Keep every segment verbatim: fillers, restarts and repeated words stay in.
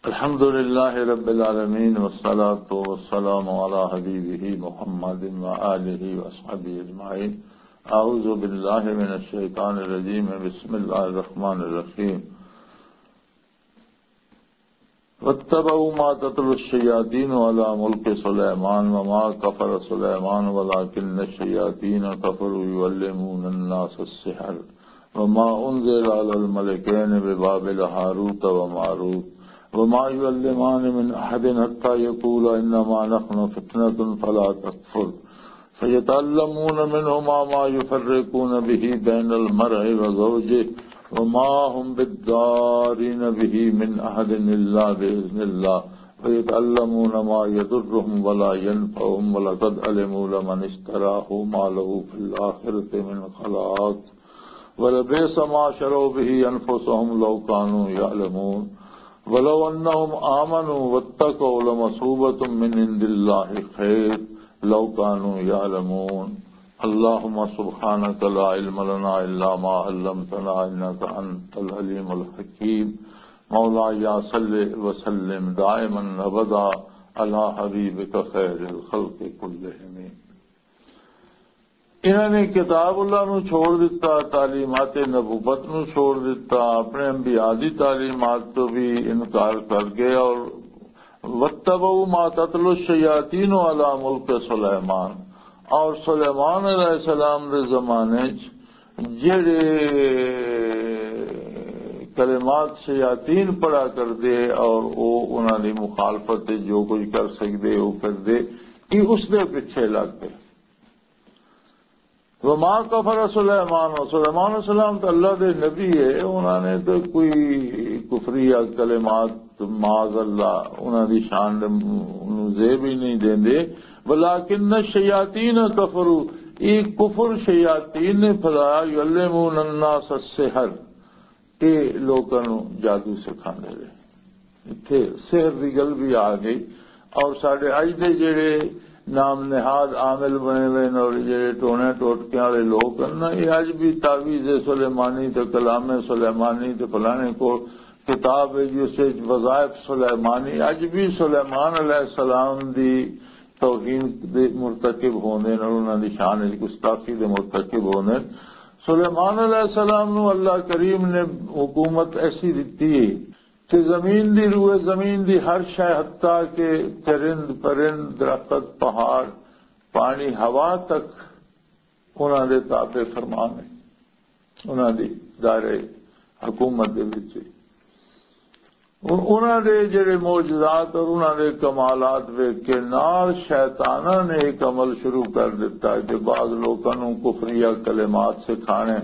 الحمد لله رب العالمين، والصلاة والسلام على حبيبه محمد وآله وأصحابه أجمعين. أعوذ بالله من الشيطان الرجيم. بسم الله الرحمن الرحيم. واتبعوا ما تتلو الشياطين على ملك سليمان وما كفر سليمان ولكن الشياطين كفروا يعلمون الناس السحر وما أنزل على الملكين ببابل هاروت وماروت وما يعلمان من أحد حتى يقولا إنما نحن فتنة فلا تكفر فيتعلمون منهما ما يفرقون به بين المرء وزوجه وما هم بالضارين به من أحد إلا بإذن الله ويتعلمون ما يضرهم ولا ينفعهم ولقد علموا لمن اشتراه ما له في الآخرة من خلاق ولبئس ما شروا به أنفسهم لو كانوا يعلمون. ولو أنهم آمنوا واتقوا لمثوبة من عند الله خير لو كانوا يعلمون. اللهم سبحانك لا علم لنا إلا ما علمتنا إنك أنت العليم الحكيم. مولاي صل وسلم دائما أبدا على حبيبك خير الخلق كلهم. انہاں نے کتاب اللہ نو چھوڑ دتا، تعلیمات نبوت نو چھوڑ دتا، اپنے انبیاء دی تعلیمات تو بھی انکار کر گئے۔ اور وَاتَّبَعُوا مَا تَتْلُو الشَّيَاطِينُ عَلَى مُلْكِ سُلَيْمَانَ، اور سلیمان علیہ السلام دے زمانے چ جڑے کلمات شیاطین پڑھا کردے اور او انہاں دی مخالفت تے جو کچھ کر سکدے او کردے، یہ اس دے پیچھے لگ گئے۔ وما کفر سلیمان، سلیمان علیہ السلام تو اللہ دے نبی ہے، انہاں نے تو کوئی کفریہ کلمات معاذ اللہ انہاں دی شان دے نو زیب ہی نہیں دیندے۔ ولکن الشیاطین کفروا، یہ کفر شیاطین نے پھیلایا، یعلمون الناس السحر، یہ لوکاں نو جادو سکھاندے رہے۔ اتھے سحر دی گل بھی آ گئی۔ اور ساڈے اج دے جڑے نام نہاد عامل بنے ہوئے نے اور جڑے ٹونے ٹوٹکے والے لوگ ہیں نا، یہ اج بھی تعویذ سلیمانی تے کلام سلیمانی تے فلانے کو کتاب ہے جس وچ وظائف سلیمانی، اج بھی سلیمان علیہ السلام دی توہین دے مرتکب ہوندے نے اور انہاں دی شان وچ گستاخی دے مرتکب ہوندے نے۔ سلیمان علیہ السلام نو اللہ کریم نے حکومت ایسی دتی ہے کہ زمین دی روئے، زمین دی ہر شے، حتیٰ کہ چرند پرند، درخت، پہاڑ، پانی، ہوا تک انہاں دے تابع فرمان ہے، انہاں دی دائرہ حکومت دے وچ ہے۔ ان-، انہاں دے جڑے معجزات اور انہاں دے کمالات ویکھ کے نال شیطاناں نے ایک عمل شروع کر دتا کہ بعض لوکاں نوں کفریہ کلمات سکھانے،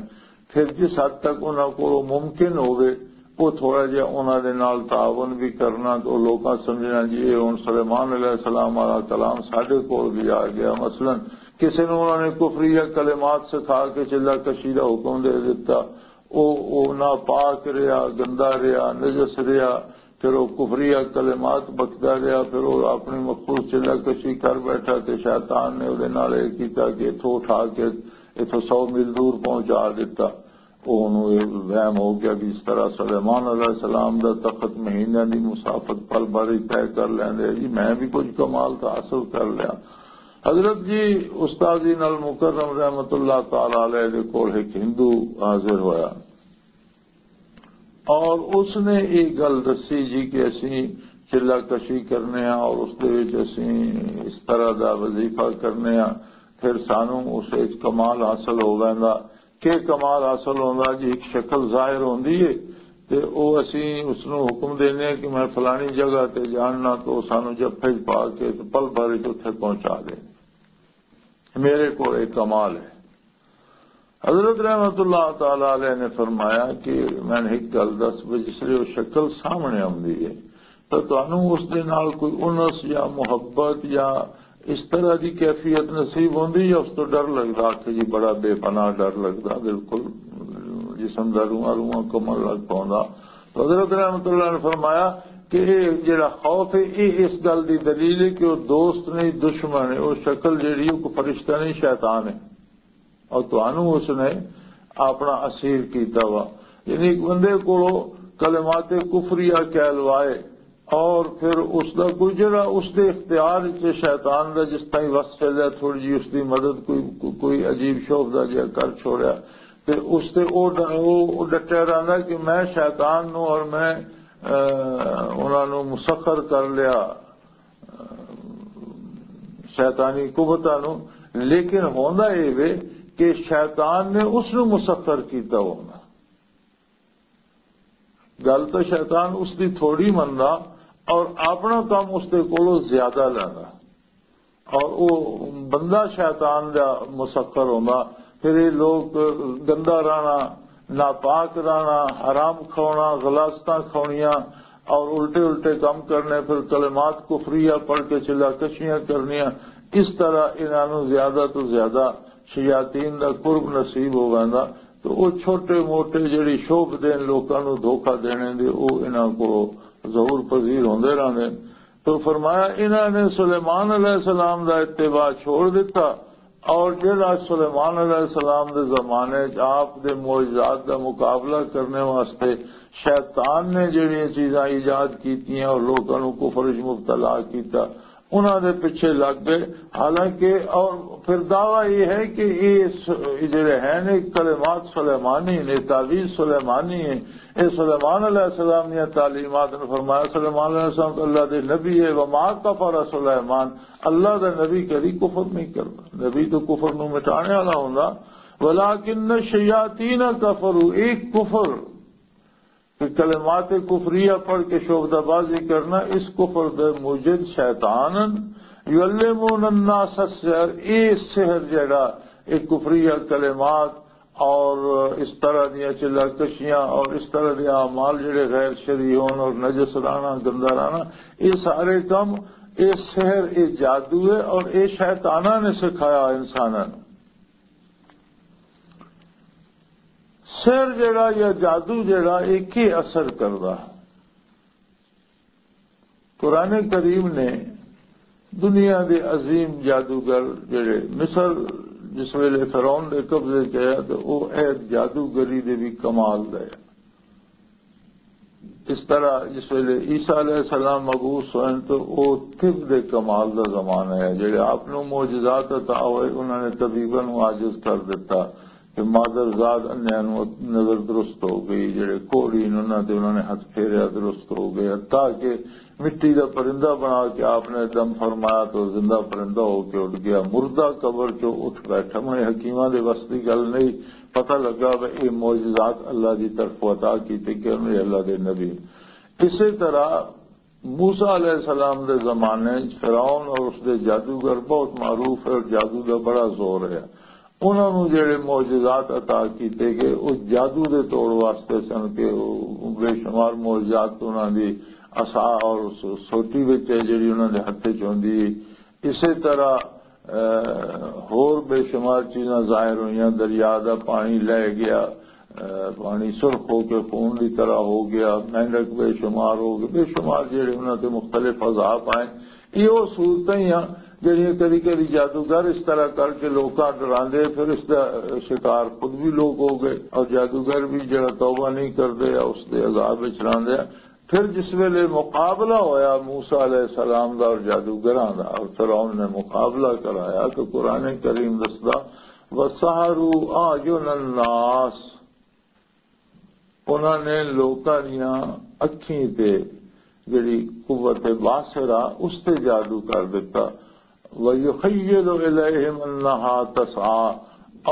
پھر جس حد تک انہاں کولوں ممکن ہووے، وہ تھوڑا جہا انہاں دے نال تعاون بھی کرنا، تو لوکاں سمجھنا جی یہ ہن سلیمان علیہ السلام والا کلام ساڈے کول بھی آ گیا۔ مثلاً کسے نوں انہاں نے کفریہ کلمات سکھا کے چلہ کشی دا حکم دے دتا، او، او ناپاک رہیا، گندا رہیا، نجس رہیا، پھر وہ کفریہ کلمات بکدا رہیا، پھر وہ اپنی مخصوص چلہ کشی کر بیٹھا تے شیطان نے وہ نال یہ کیتا کہ اتھوں اٹھا کے اتھوں سو میل دور پہنچا دیتا۔ وہ انہوں یہ وہم ہو گیا کہ اس طرح سلیمان علیہ السلام دا تخت مہینہ دی مسافت پل بھر ہی طے کر لیندے، جی میں بھی کچھ کمال تو حاصل کر لیا۔ حضرت جی استاد جی نال مکرم رحمت اللہ تعالی علیہ دے کول ایک ہندو حاضر ہویا اور اس نے یہ گل دسی جی کہ اسی چلہ کشی کرنے ہاں اور اس دے وچ اسی اس طرح دا وظیفہ کرنے ہاں، پھر سانوں اس وچ کمال حاصل ہو ویندا۔ کہ کمال حاصل ہوندا جی، ایک شکل ظاہر ہوندی ہے تے او اسی اس نوں حکم دینے ہاں کہ میں فلانی جگہ تے جاننا، تو سانوں جب پھج پا کے تے پل بھر وچ اتھے پہنچا دے۔ میرے کول ایک کمال ہے۔ حضرت رحمت اللہ تعالی علیہ نے فرمایا کہ میں نے ایک گل دس، بھی جس لیے وہ شکل سامنے آندی ہے، تو تانوں اس دے نال کوئی انس یا محبت یا اس طرح دی کیفیت نصیب ہوندی یا اس تو ڈر لگدا کہ جی بڑا بے پناہ ڈر لگدا، بالکل جسم دا رواں رواں کمن لگ پوندا؟ تو حضرت رحمت اللہ نے فرمایا کہ یہ جڑا خوف ہے، یہ اس گل دی دلیل ہے کہ وہ دوست نہیں، دشمن ہے، وہ شکل جڑی، وہ کوئی فرشتہ نہیں، شیطان ہے۔ اور تانوں اس نے اپنا اسیر کیتا وا۔ یعنی ایک بندے کولو کلمات کفریہ کہلوائے، اور پھر اس دا کوئی جڑا اس دے اختیار وچ شیطان دا جس طرح وس چلیا، تھوڑی جی اس دی مدد، کوئی، کوئی عجیب شوبدہ جہا کر چھوڑیا، تے اس تے او ڈ-، او، او ڈٹیا رہندا کہ میں شیطان نو اور میں، اے، انہاں نو مسخر کر لیا، شیطانی قوتاں نو۔ لیکن ہوندا اے وے کہ شیطان نے اس نو مسخر کیتا ہونا۔ گل تو شیطان اس دی تھوڑی مندا اور اپنا کام اس دے کولوں زیادہ لیندا، اور او بندہ شیطان دا مسخر ہوندا۔ پھر یہ لوگ گندا رہنا، ناپاک رہنا، حرام کھانا، غلاستاں کھاؤنیاں اور الٹے الٹے کام کرنے، پھر کلمات کفریہ پڑھ کے چلا کشیاں کرنیاں۔ اس طرح انہاں نوں زیادہ تو زیادہ شیاطین دا قرب نصیب ہو ویندا۔ تو او چھوٹے موٹے جڑی شوبھ دین لوکاں نوں دھوکا دینے دے، او انہاں کو ظہور پذیر ہوندے رہندے۔ تو فرمایا، انہاں نے سلیمان علیہ السلام دا اتباع چھوڑ دتا، اور جڑا سلیمان علیہ السلام دے زمانے چ آپ دے معجزات دا مقابلہ کرنے واسطے شیطان نے جڑیاں چیزاں ایجاد کیتیاں اور لوکاں نوں کفر وچ مبتلا کیتا، انہاں دے پیچھے لگ گئے۔ حالانکہ اور پھر دعویٰ یہ ہے کہ یہ س-، یہ جڑے ہیں نا، کلمات سلیمانی نے، تعویذ سلیمانی ہے، یہ سلیمان علیہ السلام دیا تعلیمات نے۔ فرمایا، سلیمان علیہ السلام تو اللہ دے نبی ہے، وما کفر سلیمان، اللہ دا نبی کدی کفر نہیں کرتا، نبی تو کفر نو مٹانے والا ہوندا، ولکن الشیاطین کفروا، ایک کفر کہ کلمات کفریہ پڑھ کے شعبدہ بازی کرنا، اس کفر دے موجد شیطان ہن۔ یعلمون الناس السحر، اے سحر جڑا، اے کفریہ کلمات اور اس طرح دیاں چلا کشیاں اور اس طرح دے اعمال جڑے غیر شرعی ہون اور نجس رانا، گندا رانا، اے سارے کم، اے سحر، اے جادو ہے اور اے شیطاناں نے سکھایا انساناں نوں۔ سحر جڑا یا جادو جڑا، اے کی اثر کردا؟ قرآن کریم نے دنیا دے عظیم جادوگر جڑے مصر جس ویلے فرعون دے قبضے چ آیا، تو او اے جادوگری دے بھی کمال دا ہے۔ اس طرح جس ویلے عیسیٰ علیہ السلام مبعوث ہوئے تو او طب دے کمال دا زمانہ ہے، جڑے آپ نو معجزات عطا ہوئے، انہاں نے طبیباں نو عاجز کر دیتا۔ کہ مادر زاد انہیاں نوں نظر درست ہو گئی، جڑے کوڑی نے انہاں تے انہاں نے ہتھ پھیریا درست ہو گئے، حتیٰ کہ مٹی دا پرندہ بنا کے آپ نے دم فرمایا تو زندہ پرندہ ہو کے اٹھ گیا، مردہ قبر چوں اٹھ بیٹھا۔ میں حکیماں دے وس دی گل نہیں، پتہ لگا کہ یہ معجزات اللہ دی طرف عطا کیتے کہ انہوں نے اللہ دے نبی۔ اسی طرح موسیٰ علیہ السلام دے زمانے وچ فرعون اور اس دے جادوگر بہت معروف ہے اور جادو دا بڑا زور ہے۔ انہاں نوں جڑے معجزات عطا کیتے گئے، او جادو دے توڑ واسطے سن کہ او بے شمار معجزات انہاں دی عصا اور سو-، سوٹی وچ ہے جڑی انہاں دے ہتھ وچ ہوندی ہے۔ اسی طرح، اے، ہور بے شمار چیزاں ظاہر ہوئیاں، دریا دا پانی لے گیا، اے، پانی سرخ ہو کے خون دی طرح ہو گیا، مینڈک بے شمار ہو گئے، بے شمار جڑے انہاں تے مختلف عذاب آئے۔ یہ وہ صورتیں ہی ہیں جڑیاں کدی کدی جادوگر اس طرح کر کے لوکاں ڈراندے، پھر اس دا شکار خود بھی لوگ ہو گئے اور جادوگر بھی جڑا توبہ نہیں کردے، اس دے عذاب وچ راندے۔ پھر جس ویلے مقابلہ ہویا موسیٰ علیہ السلام دا اور جادوگراں دا، اور فرعون نے مقابلہ کرایا، تو قرآن کریم دسدا، وَسَحَرُوا أَعْيُنَ النَّاسِ، انہاں نے لوکاں دیاں اکھیں تے جڑی قوت باصرہ، اس تے جادو کر دتا۔ وَيُخَيَّلُ إِلَيْهِمْ أَنَّهَا تَسْعَىٰ،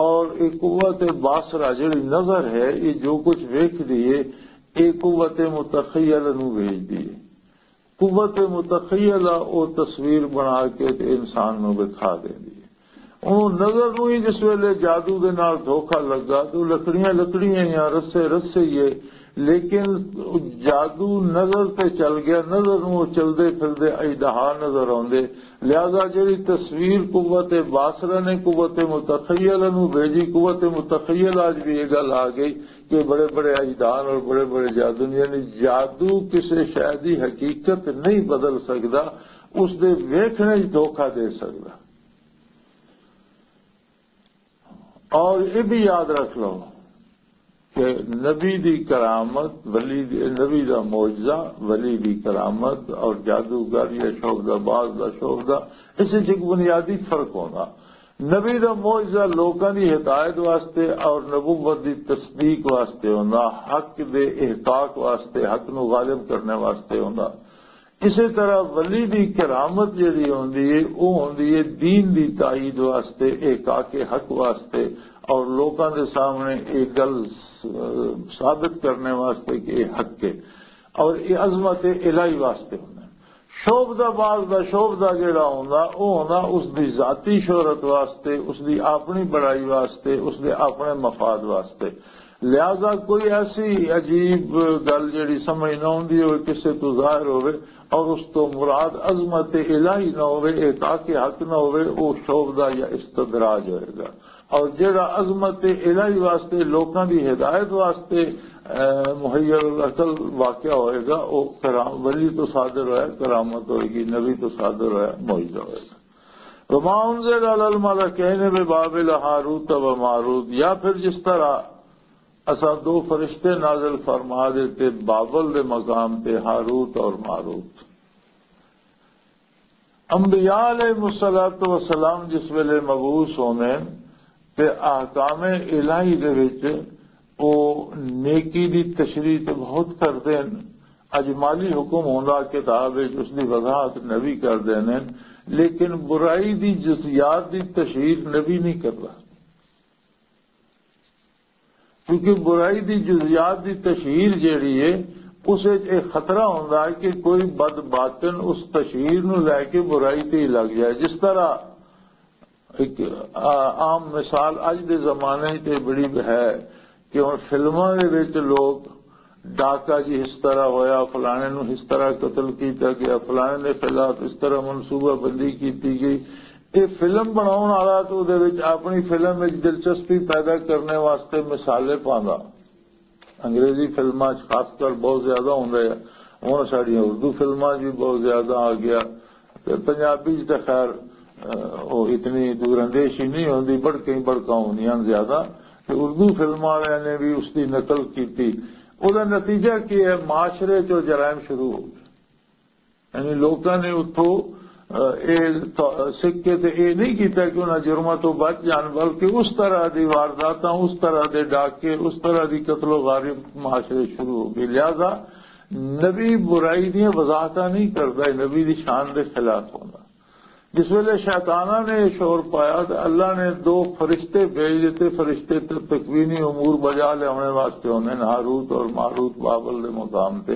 اور ایک قوت باصرہ جڑی نظر ہے، یہ جو کچھ ویکھ دیے، یہ قوت متخیلہ نو بھیج دیے۔ قوت متخیلہ او تصویر بنا کے تے انسان نو دکھا دیندی ہے۔ اونوں نظر نو ہی جس ویلے جادو دے نال دھوکا لگا تے او لکڑیاں لکڑیاں ہی آں، رسے رسے ہی ہے، لیکن جادو نظر تے چل گیا، نظر نو او چلدے پھردے اژدہا نظر آندے۔ لہذا جڑی تصویر قوت باصرہ نے قوت متخیلہ نو بھیجی، قوت متخیلہ اج بھی یہ گل آ گئی کہ بڑے بڑے اجدان اور بڑے بڑے جادو، یعنی جادو کسے شے دی حقیقت نہیں بدل سکدا، اس دے ویکھنے وچ دھوکا دے سکدا۔ اور یہ بھی یاد رکھ لو کہ نبی دی کرامت، ولی دی، نبی دا معجزہ، ولی دی کرامت اور جادوگر یا شعبدہ باز دا شعبدہ، اس وچ ایک بنیادی فرق ہوندا۔ نبی دا معجزہ لوکاں دی ہدایت واسطے اور نبوت دی تصدیق واسطے ہوندا، حق دے احقاق واسطے، حق نو غالب کرنے واسطے ہوندا۔ اسی طرح ولی دی کرامت جڑی ہوندی ہے، وہ ہوندی ہے دین دی تائید واسطے، احقاق حق واسطے، اور لوکاں دے سامنے یہ گل س-، ثابت کرنے واسطے کہ یہ حق ہے، اور یہ عظمت الہی واسطے ہوندا ہے۔ شعبدہ باز دا شعبدہ جڑا ہوندا، وہ ہوندا اس دی ذاتی شہرت واسطے، اس دی اپنی بڑائی واسطے، اس دے اپنے مفاد واسطے۔ لہذا کوئی ایسی عجیب گل جڑی سمجھ نہ ہوندی ہوئے، کسے تو ظاہر ہوئے، اور اس تو مراد عظمت الہی نہ ہوئے، احقاق حق نہ ہوئے، وہ شعبدہ یا استدراج ہوئے گا۔ اور جڑا عظمت الہی واسطے، لوکاں دی ہدایت واسطے، اے، محیر العقل واقعہ ہوئے گا، وہ کرام-، ولی تو صادر ہویا کرامت ہوئے گی، نبی تو صادر ہویا معجزہ ہوئے گا۔ وما انزل علی الملکین ببابل ہاروت و ماروت، یا پھر جس طرح اساں دو فرشتے نازل فرما دیتے بابل دے مقام تے، ہاروت اور ماروت۔ انبیاء علیہ الصلوۃ والسلام جس ویلے مبعوث ہوندے تے احکام الہی دے وچ او نیکی دی تشریح تے بہت کردے ہن۔ اجمالی حکم ہوندا کتاب وچ، اس دی وضاحت نبی کردے نے، لیکن برائی دی جزیات دی تشہیر نبی نہیں کردا۔ کیونکہ برائی دی جزیات دی تشہیر جیڑی ہے، اس وچ ایک خطرہ ہوندا ہے کہ کوئی بد باطن اس تشہیر نو لے کے برائی تے ہی لگ جائے۔ جس طرح ایک، آ، عام مثال اج دے زمانے تے بڑی ہے کہ ہن فلماں دے وچ لوگ ڈاکہ جی اس طرح ہویا، فلانے نو اس طرح قتل کیتا گیا، فلانے دے خلاف اس طرح منصوبہ بندی کیتی گئی۔ یہ فلم بناؤن والا تو دے وچ اپنی فلم وچ دلچسپی پیدا کرنے واسطے مثالے پاندا۔ انگریزی فلماں چ خاص کر بہت زیادہ ہوندا ہے۔ ہن ساڈیاں اردو فلماں بھی بہت زیادہ آ گیا۔ تے پنجابی چ تے خیر، اہ، او اتنی دور اندیشی نہیں ہوندی، بڑکیں بڑکاں ہوندیاں زیادہ۔ تے اردو فلم والے نے بھی اس دی نقل کیتی۔ او دا نتیجہ کی ہے؟ معاشرے چ جرائم شروع ہو گئے۔ یعنی لوکاں نے اتھوں، اہ، اے تو-، سکھ کے تے اے نہیں کیتا کہ انہاں جرماں تو بچ جان، بلکہ اس طرح دی وارداتاں، اس طرح دے ڈاکے، اس طرح دی قتل و غارت معاشرے شروع ہو گئی۔ لہذا نبی برائی دیاں وضاحتاں نہیں کردا، اے نبی دی شان دے خلاف ہوندا۔ جس ویلے شیطاناں نے یہ شور پایا تو اللہ نے دو فرشتے بھیج دیتے، فرشتے تے تکوینی امور بجا لیاونے واسطے ہوندے نے، ہاروت اور ماروت بابل دے مقام تے۔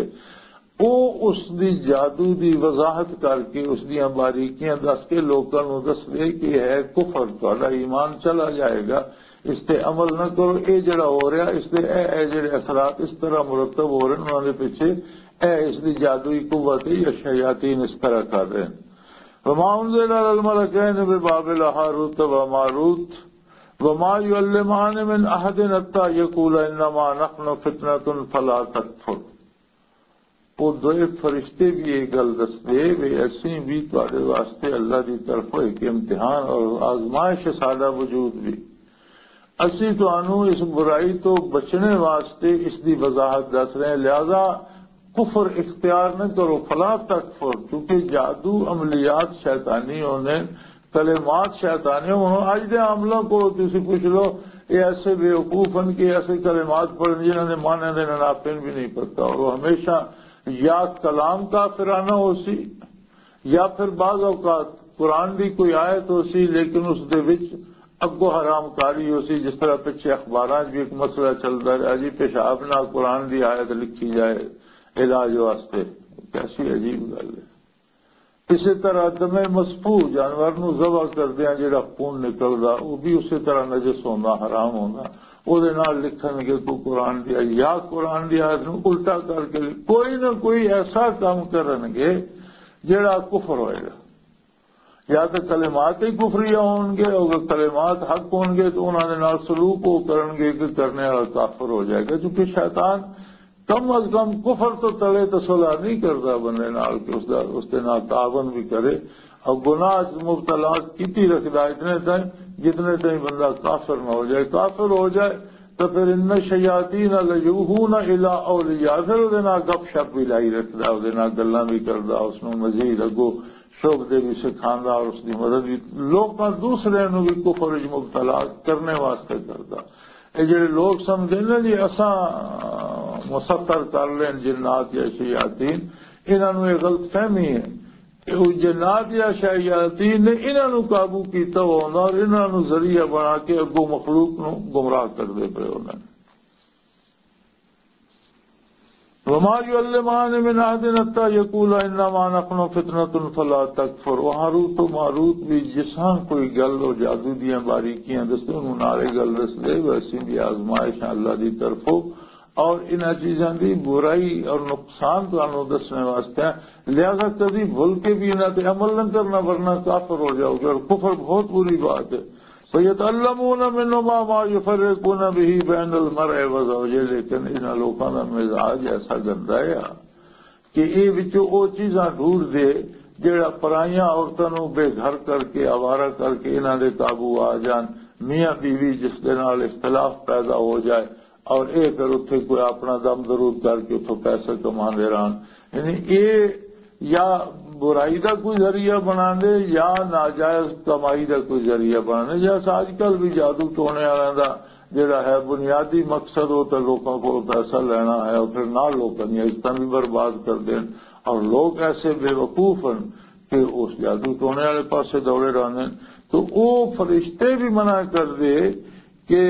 او اس دی جادو دی وضاحت کر کے، اس دیاں باریکیاں دس کے لوکاں نوں دس دے کہ ہے کفر، تہاڈا ایمان چلا جائے گا، اس تے عمل نہ کرو۔ اے جڑا ہو رہا، اس دے اے، اے جڑے اثرات اس طرح مرتب ہو رہے، انہاں دے پیچھے اے اس دی جادوئی قوت ہے، یا شیاطین اس طرح کر رہے ہیں۔ وما انزل علی الملکین ببابل ہاروت و ماروت وما یعلمان من احد حتی یقولا انما نحن فتنة فلا تکفر۔ وہ دوئے فرشتے بھی یہ گل دسدے وے، اسی بھی تواڈے واسطے اللہ دی طرفوں ایک امتحان اور آزمائش ہے، ساڈا وجود بھی۔ اسی تانوں اس برائی تو بچنے واسطے اس دی وضاحت دس رہے ہیں، لہذا کفر اختیار نہ کرو، فلا تکفر، کیونکہ جادو عملیات شیطانی ہونے، کلمات شیطانی ہونے۔ اج دے عاملاں کو تسی پوچھ لو، یہ ایسے بیوقوف ہیں کہ ایسے کلمات پڑھن جنہاں دے معنی دے ناپن بھی نہیں پتہ، اور وہ ہمیشہ یا کلام کافرانہ ہو سی، یا پھر بعض اوقات قرآن دی کوئی آیت ہو سی، لیکن اس دے وچ اگو حرام کاری ہو سی، جس طرح پچھے اخباراں 'چ بھی ایک مسئلہ چلدا رہا جی، پیشاب نال قرآن دی آیت لکھی جائے علاج واسطے۔ کیسی عجیب گل ہے۔ اسی طرح دم مسفوح، جانور نو ذبح کردیاں جڑا خون نکلدا، وہ بھی اسی طرح نجس ہوندا، حرام ہوندا۔ او دے نال لکھن گے کوئی قرآن دی آیت، یا قرآن دی آیت نو الٹا کر کے لکھ-، کوئی نہ کوئی ایسا کام کرن گے جڑا کفر ہوئے گا۔ یا تو کلمات ہی کفریہ ہون گے، اگر کلمات حق ہون گے تو انہاں دے نال سلوک وہ کرن گے کہ کرنے والا کافر ہو جائے گا، کیونکہ شیطان کم از کم کفر تو تلے تو صلح نہیں کردا بندے نال کہ اس دا، اس دے نال تعاون بھی کرے، اور گناہ چ مبتلا کیتی رکھدا اتنے تائیں جتنے تائیں بندہ کافر نہ ہو جائے۔ کافر ہو جائے تو پھر ان شیاطین لیوحون الی اولیاء، پھر وہ نال گپ شپ بھی لائی رکھدا، وہ نال گلاں بھی کردا، اس نوں مزید اگوں شعبدے بھی سکھاندا اور اس دی مدد بھی، لوکاں دوسرے نوں بھی کفر وچ مبتلا کرنے واسطے کردا۔ اے جڑے لوگ سمجھدے نے جی اساں مسخر کر لین جنات یا شیاطین، انہاں نوں یہ غلط فہمی ہے کہ وہ جنات یا شیاطین نے انہاں نوں قابو کیتا ہوندا اور انہاں نوں ذریعہ بنا کے اگوں مخلوق نوں گمراہ کردے پئے ہوندے نے۔ وما يعلمان من احد حتى يقولا انما نحن فتنة فلا تكفر۔ وہ ہاروت و ماروت بھی جساں کوئی گل اور جادو دیاں باریکیاں دسدے، انہوں نال یہ گل دسدے، ویسے بھی آزمائش ہے اللہ دی طرفوں، اور انہاں چیزاں دی برائی اور نقصان تانوں دسنے واسطے ہیں۔ لہذا کدی بھول کے بھی انہاں تے عمل نہ کرنا، ورنہ کافر ہو جاؤ گے، اور کفر بہت بری بات ہے۔ فَيَتَعَلَّمُونَ مِنْهُمَا مَا يُفَرِّقُونَ بِهِ بَيْنَ الْمَرْءِ وَزَوْجِهِ، لیکن انہاں لوکاں دا مزاج ایسا گندا ہے کہ اے وچوں او چیزاں ڈھونڈ دے جڑا پرائیاں عورتاں نوں بے گھر کر کے، آوارہ کر کے انہاں دے قابو آ جان، میاں بیوی جس دے نال اختلاف پیدا ہو جائے اور اے پھر اتھے کوئی اپنا دم درود کر کے اتھوں پیسے کماندے رہن۔ یعنی اے یا برائی دا کوئی ذریعہ بنا دے یا ناجائز کمائی دا کوئی ذریعہ بنا دے۔ جیسا اج کل بھی جادو ٹونے والوں دا جڑا ہے بنیادی مقصد، وہ تو لوکاں کو پیسہ لینا ہے اور پھر نال لوکاں دی عزتاں بھی برباد کر دین، اور لوگ ایسے بے وقوف ہیں کہ اس جادو ٹونے والے پاسے دوڑے رہندے ہیں۔ تو وہ فرشتے بھی منع کر دے کہ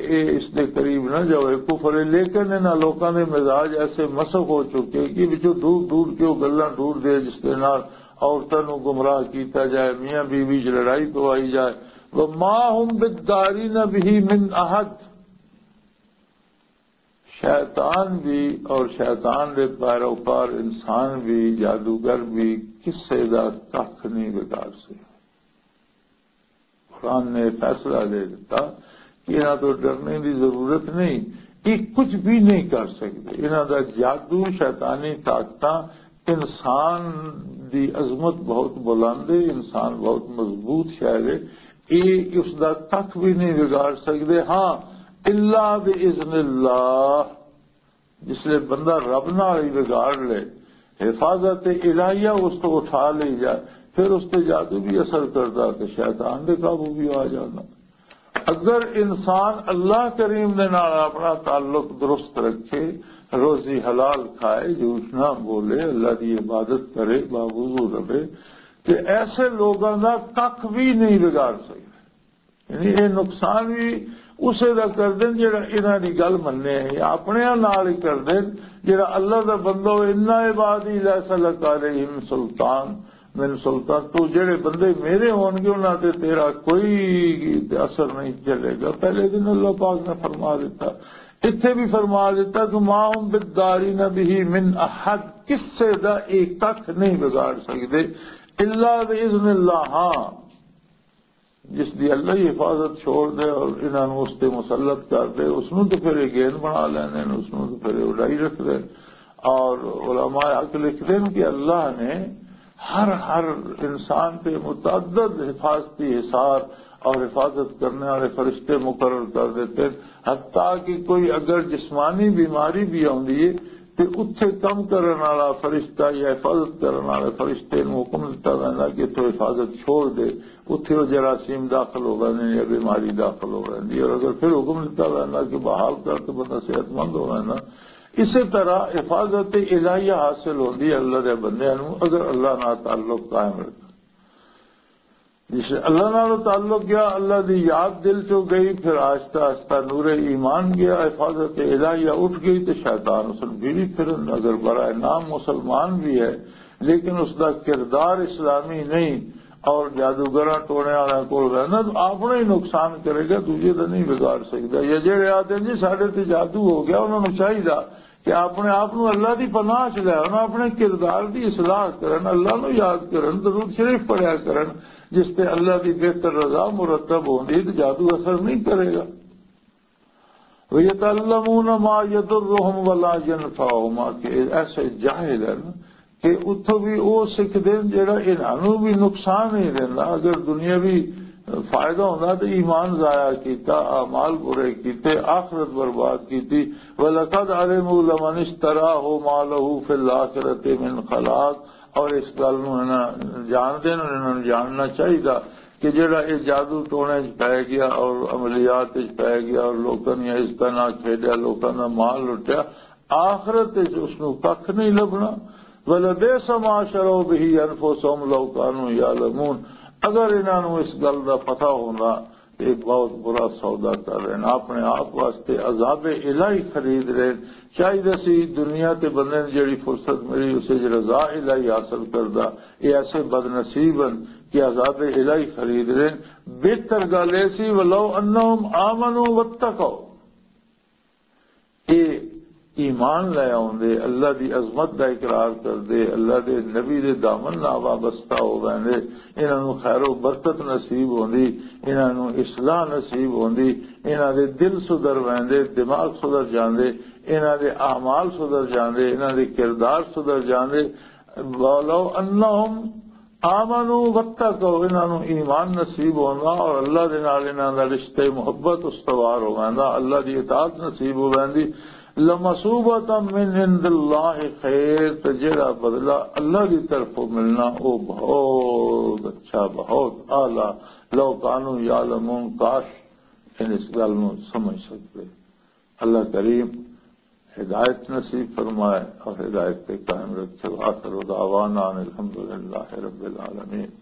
اے اس دے قریب نہ جاؤ، اے کفر ہے۔ لیکن انہاں لوکاں دے مزاج ایسے مسخ ہو چکے کہ وچوں ڈور ڈور کے وہ گلاں ڈور دے جس دے نال عورتاں نوں گمراہ کیتا جائے، میاں بیوی وچ لڑائی پوائی جائے۔ وما هم بالضارین به من احد۔ شیطان بھی اور شیطان دے پیروکار انسان بھی، جادوگر بھی کسے دا ککھ نہیں بگاڑ سکے۔ قرآن نے فیصلہ دے دیتا کہ انہاں تو ڈرنے دی ضرورت نہیں، یہ کچھ بھی نہیں کر سکتے۔ انہاں دا جادو، شیطانی طاقتاں، انسان دی عظمت بہت بلند ہے، انسان بہت مضبوط شہر ہے، یہ اس دا ککھ بھی نہیں بگاڑ سکتے۔ ہاں، الا باذن اللہ، جس لئے بندہ رب نال ہی بگاڑ لے، حفاظت الہیہ اس تو اٹھا لی جائے، پھر اس تے جادو بھی اثر کردا تے شیطان دے قابو بھی آ جاندا۔ اگر انسان اللہ کریم دے نال اپنا تعلق درست رکھے، روزی حلال کھائے، جھوٹ نہ بولے، اللہ دی عبادت کرے، باوضو رہے، تے ایسے لوگاں دا ککھ بھی نہیں بگاڑ سکدا۔ یعنی یہ نقصان بھی اسے دا کر دین جڑا انہاں دی گل مننے، یا اپنے نال ہی کر دین جڑا اللہ دا بندہ ہو۔ انا عبادی لیس لک علیہم سلطان، من سلطان، تو جڑے بندے میرے ہون گے انہاں تے تیرا کوئی اثر نہیں چلے گا۔ پہلے دن اللہ پاک نے فرما دیتا، اتھے بھی فرما دیتا کہ ما هم بالضارین به من احد، کسے دا ایک ککھ نہیں بگاڑ سکدے، الا باذن اللہ۔ ہاں، جس دی اللہ ہی حفاظت چھوڑ دے اور انہاں نوں اس تے مسلط کر دے، اس نوں تے پھر یہ گین بنا لیندے نے، اس نوں تے پھر یہ اڈائی رکھ دے۔ اور علماء حق لکھ دے کہ اللہ نے ہر، ہر انسان تے متعدد حفاظتی حصار اور حفاظت کرنے والے فرشتے مقرر کر دیتے ہیں، حتیٰ کہ کوئی اگر جسمانی بیماری بھی آندی ہے، تے اتھے کم کرن والا فرشتہ یا حفاظت کرن والے فرشتے نوں حکم دتا ویندا کہ اتھوں حفاظت چھوڑ دے، اتھے وہ جراثیم داخل ہو ویندے یا بیماری داخل ہو ویندی ہے، اور اگر پھر حکم دتا ویندا کہ بحال کر تے بندہ صحت مند ہو ویندا۔ اسی طرح حفاظت الہیہ حاصل ہوندی ہے اللہ دے بندیاں نوں اگر اللہ نال تعلق قائم رکھن۔ جس اللہ نال تعلق گیا، اللہ دی یاد دل چوں گئی، پھر آہستہ آہستہ نور ایمان گیا، حفاظت الہیہ اٹھ گئی تے شیطان اس نوں بھیڑی پھرن۔ اگر برائے نام مسلمان بھی ہے لیکن اس دا کردار اسلامی نہیں اور جادوگراں ٹونے والوں کول رہنا تو اپنا ہی نقصان کرے گا، دوجے دا نہیں بگاڑ سکدا۔ یا جڑے آتے ہیں جی ساڈے تے جادو ہو گیا، انہاں نوں چاہیدا کہ اپنے آپ نوں اللہ دی پناہ چ لے آؤ، اپنے کردار دی اصلاح کرن، اللہ نوں یاد کرن، درود شریف پڑھیا کرن، جس تے اللہ دی بہتر رضا مرتب ہوندی ہے، تے جادو اثر نہیں کرے گا۔ وَيَتَعَلَّمُونَ مَا يَضُرُّهُمْ وَلَا يَنْفَعُهُمْ، کہ ایسے جاہل ہیں کہ اتھوں بھی وہ سکھدے ہیں جڑا انہاں نوں بھی نقصان نہیں دیندا۔ اگر دنیاوی، آ، فائدہ ہوندا تے ایمان ضائع کیتا، اعمال برے کیتے، آخرت برباد کیتی۔ وَلَقَدْ عَلِمُوا لَمَنِ اشْتَرَاهُ مَا لَهُ فِي الْآخِرَةِ مِنْ خَلَاقٍ۔ اور اس گل نوں انہاں جان دین، انہاں نوں جاننا چاہیدا کہ جڑا اے جادو ٹونے وچ پے گیا اور عملیات وچ پے گیا اور لوکاں دیاں عزتاں نال کھیڈیا، لوکاں دا مال لٹیا، آخرت وچ اس نوں ککھ نہیں لبھنا۔ وَلَبِئْسَ مَا شَرَوْا بِهِ أَنْفُسَهُمْ لَوْ كَانُوا يَعْلَمُونَ۔ اگر انہاں نوں اس گل دا پتہ ہوندا، تے بہت برا سودا کر رہے ہیں، اپنے آپ واسطے عذاب الہی خرید رہے ہیں۔ شاید اسی دنیا تے بندے نے جڑی فرصت ملی، اسے وچ رضا الہی حاصل کردا۔ یہ ایسے بد نصیب ہیں کہ عذاب الہی خرید رہے ہیں۔ بہتر گل یہ سی، وَلَوْ أَنَّهُمْ آمَنُوا وَاتَّقَوْا، اے ایمان لے آوندے، اللہ دی عظمت دا اقرار کردے، اللہ دے نبی دے دامن نال وابستہ ہو ویندے، انہاں نوں خیر و برکت نصیب ہوندی، انہاں نوں اصلاح نصیب ہوندی، انہاں دے دل سدھر ویندے، دماغ سدھر جاندے، انہاں دے اعمال سدھر جاندے، انہاں دے کردار سدھر جاندے۔ وَلَوْ أَنَّهُمْ آمَنُوا وَاتَّقَوْا، انہاں نوں ایمان نصیب ہوندا اور اللہ دے نال انہاں دا رشتہ محبت استوار ہو ویندا، اللہ دی اطاعت نصیب ہو ویندی۔ لَمَثُوبَةٌ مِّنْ عِندِ اللَّهِ خَيْرٌ، تے جڑا بدلہ اللہ دی طرفوں ملنا، او بہت اچھا، بہت اعلیٰ۔ لَوْ كَانُوا يَعْلَمُونَ، کاش ان اس گل نوں سمجھ سکدے۔ اللہ کریم ہدایت نصیب فرمائے اور ہدایت پہ قائم رکھے۔ وآخر دعوانا ان الحمدللہ رب العالمین۔